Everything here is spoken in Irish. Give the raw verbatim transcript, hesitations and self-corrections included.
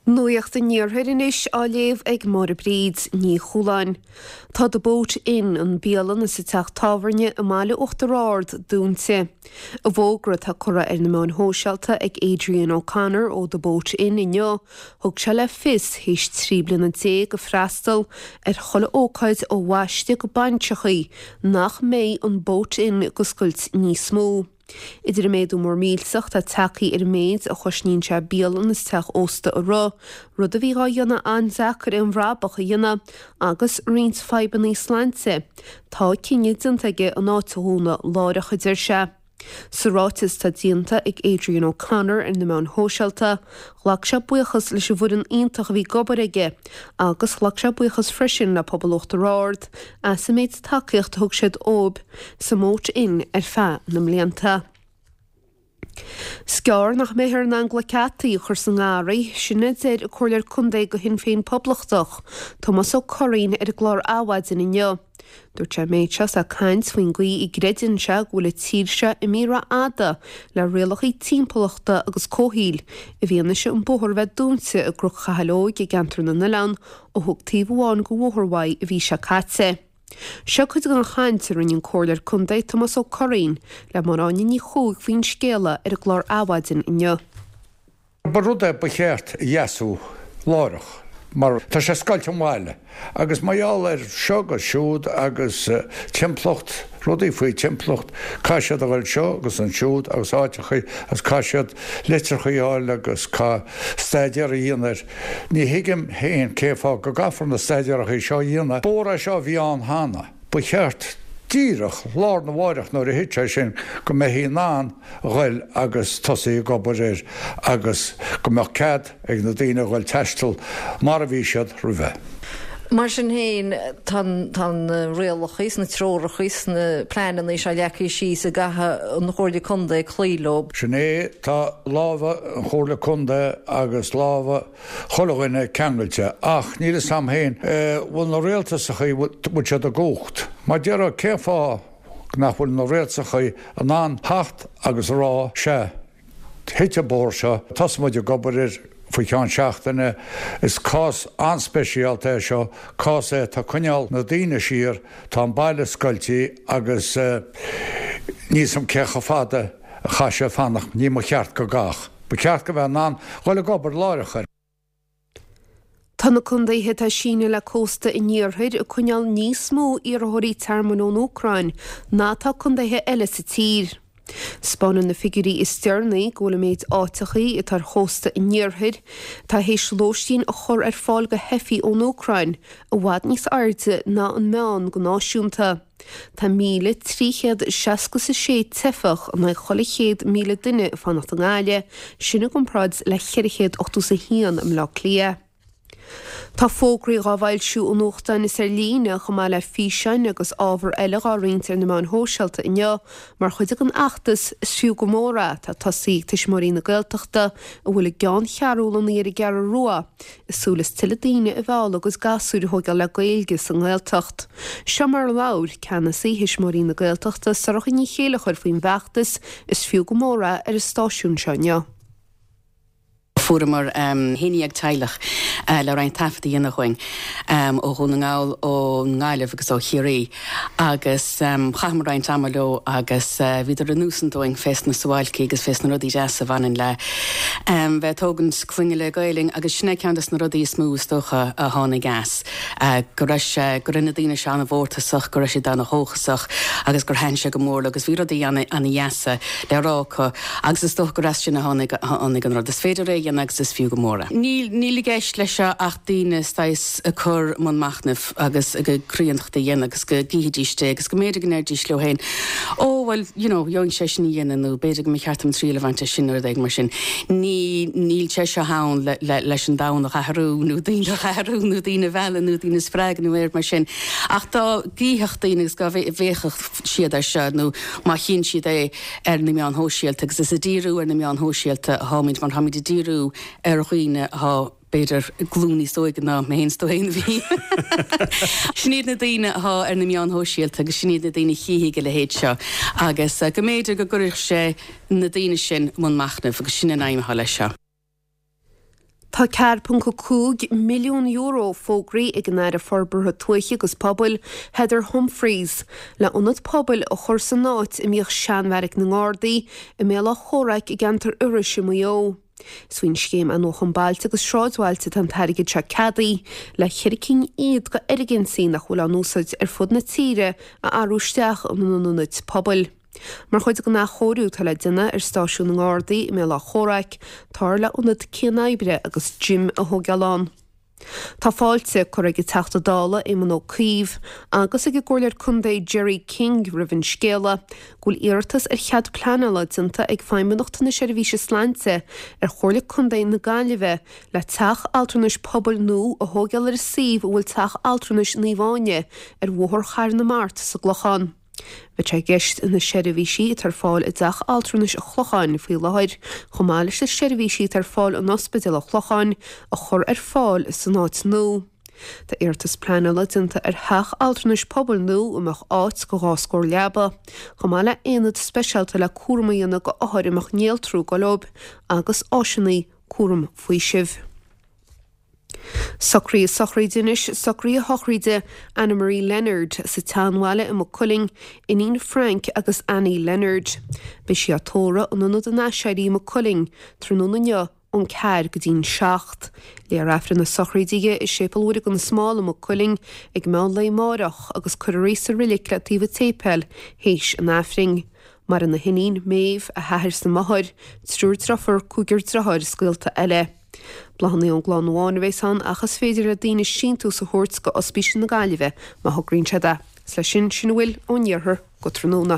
Nuacht an Iarthair anois á léamh ag Máire Bríd Ní Chualáin. Tá The Boat Inn an bialann is an teach tábhairne i mbaile Uachtar Ard dúnta. I bhfógra atá curtha ar na meáin shóisialta ag Adrian O'Connor ó The Boat Inn inniu, thug sé le fios théis trí bliana déag ag freastal ar chuile ócáid ó bhaisteadh go bainseachaí nach mbeidh an Boat Inn ag oscailt níos mó. Idir an méadú mór millteach atá tagtha ar an méid a chosnaíonn sé bialann is teach ósta a rith, rud a bhí á dhéanamh an-deacair aon bhrabach a dhéanamh agus roinnt fadhbanna sláinte, tá cinneadh déanta aige an áit a dhúnadh láithreach, a deir sé. Sa ráiteas atá déanta ag Adrian O'Connor ar na meáin shóisialta, ghlac sé buíochas leis an bhfoireann iontach a bhí ag obair aige agus ghlac sé buíochas freisin le pobal Uachtar Ard as an méid tacaíocht a thug siad dóibh sa mBoat Inn ar feadh na mblianta. 'S gearr nach mbeifear in ann glac geataí a chur sa ngarraí, sin a deir an Comhairleoir Contae do Shinn Féin Poblachtach, Tomás Ó Curraoin ar an gclár Adhmhaidin inniu. Dúirt sé an méid seo is é ag caint faoin gcaoi a gcreideann sé go bhfuil an tír seo imithe rófhada le rialacha timpeallachta agus comhshaoil i bhfianaise an bóthar a bheith dúnta i gCnoc Chathail Óig i gceantar na nOileán ó thug taobh amháin de bhóthar uaidh an mhí seo caite. Seo cuid den chaint a rinne an Comhairleoir Contae Tomás Ó Curraoin le Máire Áine Ní Chuaig faoin scéala ar an gclár Adhmhaidin inniu. Ba rud é ba cheart a dheasú láithreach mar tá sé ag scoilt an bhaile agus mar gheall ar seo agus siúd agus timpeallacht, rudaí faoi timpeallacht, caithfidh siad a dhul seo agus ansiúd agus áiteachaí agus caithfidh siad litreachaí a fháil agus caithfidh staidéar a dhéanamh air. Ní thuigim féin cén fáth go gcaithfear na staidéarachaí seo a dhéanamh. Bóthar é seo a bhí ann cheana. Ba cheart díreach lá arna mháireach nuair a thit sé sin go mbeifí in ann a ghoil agus tosaí ag obair air agus go mbeadh cead ag na daoine a ghoil taisteal mar a bhí siad roimhe. Mar sin féin, tá na rialacha is na treoracha is na pleananna seo leagtha síos a gcaithfidh an Chomhairle Contae cloí leo. Sin é, tá lámha an Chomhairle Contae agus lámha chuile dhuine ceangailte ach níl fhios a'm féin, bhfuil na rialtasachaí, bhfuil siad i gcumhacht? Mar déarfá, cén fáth nach bhfuil na rialtasachaí in ann theacht agus a rá, sea, thit an bóthar seo, tosóidh muid ag obair air faoi cheann seachtaine. Is cás an-speisialta é seo, cás é atá ag coinneáil na daoine siar, tá an baile scoiltí agus níl 'fhios a'm cé chomh fada a chaithfidh sé fanacht, ní mba cheart go gcaithfeadh. Ba cheart go mbeith in ann dhul ag obair láithreach air. Tá na contaetha atá ag síneadh le cósta an iarthair ag coinneáil níos mó iarrthóirí tearmainn ón Úcráin ná atá contaetha eile sa tír. 'Spáineann na figiúirí is deireanaí go bhfuil an méid áiteachaí atá ar chósta an iarthair atá théis lóistín a chur ar fáil do theifigh ón Úcráin i bhfad níos airde ná an meán go náisiúnta. Tá míle trí chéad seasca is a sé teifeach in aghaidh chuile chéad míle duine ag fanacht i nGaillimh, sin i gcomparáid le ceithre chéad ochtó is a haon i mBleá Cliath. Tá fógraí dhá bhfoilsiú i nuachtáin is ar líne, chomh maith le físeáin agus ábhar eile dhá roinnt ar na meáin shóisialta inniu mar chuid den fheachtas Is Fiú Go Mór É atá tosaithe ag Tuismitheoirí na Gaeltachta a bhfuil a gceanncheathrú lonnaithe ar an gCeathrú Rua, ag súil is tuilleadh daoine a mhealladh a gcuid gasúir a thógáil le Gaeilge sa nGaeltacht. Seo mar a labhair Ceannasaí Thuismitheoirí na Gaeltachta, Sorcha Ní Chéilleachair faoin bhfeachtas Is Fiú Go Mór É ar an stáisiún seo inniu. Fuaireamar haon dhéag teaghlach le roinnt taifead a dhéanamh dhúinn ó Dhún na nGall, ón nGaillimh agus ó Chiarraí agus chaitheamar roinnt ama leo agus bhíodar ag insint dúinn fés na suáilcí agus fés na rudaí deasa a bhaineann le bheith ag tógaint clainne le Gaelainn agus sin é ceann des na rudaí is mó is dócha a tháinig as, go raibh sé, go raibh na daoine seo ana-mhórtasach, go raibh siad ana-dhóchasach agus gur thaitin sé go mór leo agus bhí rudaí ana-dheasa le rá acu agus is dócha gur as sin a tháinig a tháinig an rud. Is féidir é a dhéanamh agus is fiú go mór é. Níl níl i gceist leis seo ach daoine saghas a chur i mbun machnaimh agus a gcuid críonnachta a dhéanamh agus go gcífidís é agus go mb'fhéidir go ndéarfaidís leo féin 'Ó bhuel, you know, gheobhainn sé sin a dhéanamh' nó 'B'fhéidir go mba cheart dom triail a bhaint as sin' nó rud éigin mar sin. Ní níl sé seo ann le le leis an domhan a athrú nó daoine a athrú nó daoine a mhealladh nó daoine a spreagadh nó aon rud mar sin. Ach dá gcífeadh daoine agus dá bhféachfadh siad air seo nó má chíonn siad é ar na meáin shóisialta agus is ag díriú ar na meáin shóisialta atáimid mar táimid ag díriú ar dhaoine atá b'fhéidir glúin níos óige ná mé féin is tú féin a bhí. Sin iad na daoine atá ar na meáin shóisialta agus sin iad na daoine a chífidh a leithéid seo agus go mb'fhéidir go gcuirfeadh sé na daoine sin i mbun machnaimh agus sin an aidhm atá leis seo. Tá Tá ceathair ponc a cúig milliún euro fógraithe ag an Aire Forbartha Tuaithe agus Pobail, Heather Humphreys, le ionad pobail a chur san áit a mbíodh seanbheairic na nGardaí i mBéal Átha Chomhraic i gceantar Iorrais i Maigh Eo. Is faoin scéim Athnuachan Bailte agus Sráidbhailte atá an t-airgead seo ceadaithe le ceithre cinn fhichead de fhoirgintí nach bhfuil á n-úsáid ar fud na tíre a athrú isteach ina n-ionaid pobail. Mar chuid den athchóiriú atá le déanamh ar stáisiún na nGardaí i mBéal Átha Chomhraic, táthar le ionad cianoibre agus gym a thógáil ann. Tá fáilte curtha ag an Teachta Dála Éamon Ó Cuív agus ag an gComhairleoir Contae Gerry King roimh an scéala go bhfuil iarratas ar chead pleanála déanta ag Feidhmeannacht na Seirbhíse Sláinte ar Chomhairle Contae na Gaillimhe le teach altranais pobail nua a thógáil ar an suíomh a bhfuil teach altranais Naomh Áine ar Bhóthar Chathair na Mart sa gClochán. Bheadh sé i gceist na seirbhísí atá ar fáil i dteach altranais an Chlocháin faoi láthair, chomh maith leis na seirbhísí atá ar fáil in Ospidéal an Chlocháin, a chur ar fáil san áit nua. Tá iarratas pleanála déanta ar theach altranais pobail nua a mbeadh áit do dhá scór leaba, chomh maith le haonad speisialta le cúram a dhéanamh d'othair a mbeadh néaltrú ag dul leo agus áiseanna cúram faoisimh. Socruithe sochraide anois, socruithe sochraide Anna Marie Leonard sa tSeanbhaile i Maigh Cuilinn, iníon Frank agus Annie Leonard. Beidh sí á tórramh in Ionad an Aiséirí i Maigh Cuilinn tráthnóna inniu ón ceathair go dtí'n seacht. Léifear Aifreann na sochraide di i Séipéal Mhuire gan Smál i Maigh Cuilinn ag meán lae amáireach agus cuirfear í sa reilig le taobh an tséipéil théis an Aifrinn. Maireann a hiníon, Méabh, a hathair 's a máthair, triúr driofúr, cúigear driotháir is gaolta eile. Bláthanna ón gclann amháin a bheas ann ach is féidir le daoine síntiús a thabhairt go Ospís na Gaillimhe má thograíonn siad é. Is leis sin, sin a bhfuil ón iarthar go tráthnóna.